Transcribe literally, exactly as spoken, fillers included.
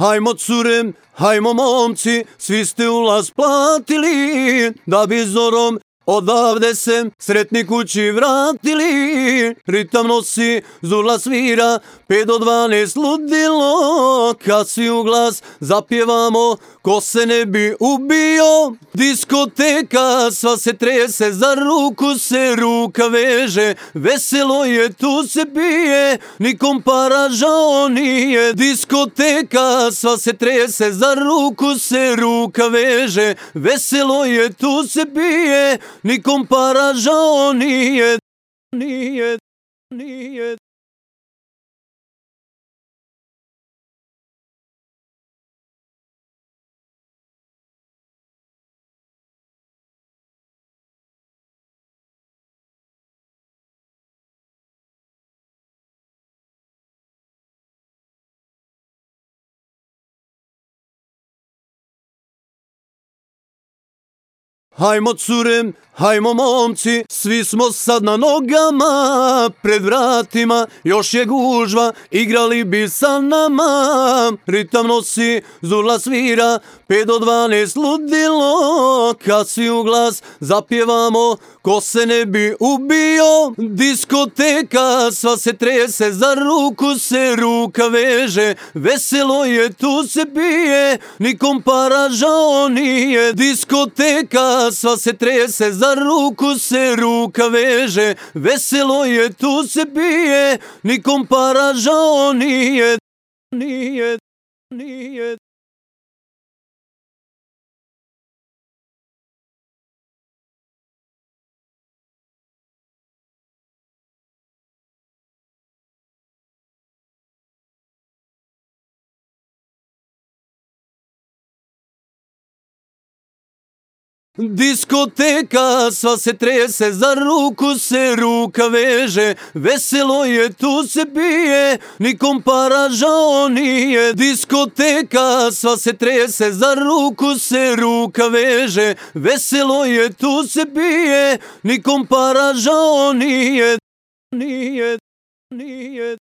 Hajmo cure, hajmo momci, svi ste ulaz platili, da bi zorom odavde se sretni kući vratili. Ritam nosi, zurla svira, pet do dvanaest ludilo, kad svi u glas zapjevamo, ko se ne bi ubio. Diskoteka, sva se trese, za ruku se ruka veže, veselo je, tu se pije, nikom para žao nije. Diskoteka, sva se trese, za ruku se ruka veže, veselo je, tu se pije, nikom para žao nije. Nije, nije. Hajmo cure, hajmo momci, svi smo sad na nogama, pred vratima još je gužva, igrali bi sa nama. Ritam nosi, zurla svira, pet do dvanaest ludilo, kad svi u glas zapjevamo, ko se ne bi ubio. Diskoteka, sva se trese, za ruku se ruka veže, veselo je, tu se pije, nikom para žao nije. Diskoteka, sva se trese, za ruku se ruka veže, veselo je, tu se pije, nikom para žao nije. Nije, nije. Diskoteka, sva se trese, za ruku se ruka veže, veselo je, tu se pije, nikom para žao nije. Diskoteka, sva se trese, za ruku se ruka veže, veselo je, tu se pije, nikom para žao nije. Nije, nije.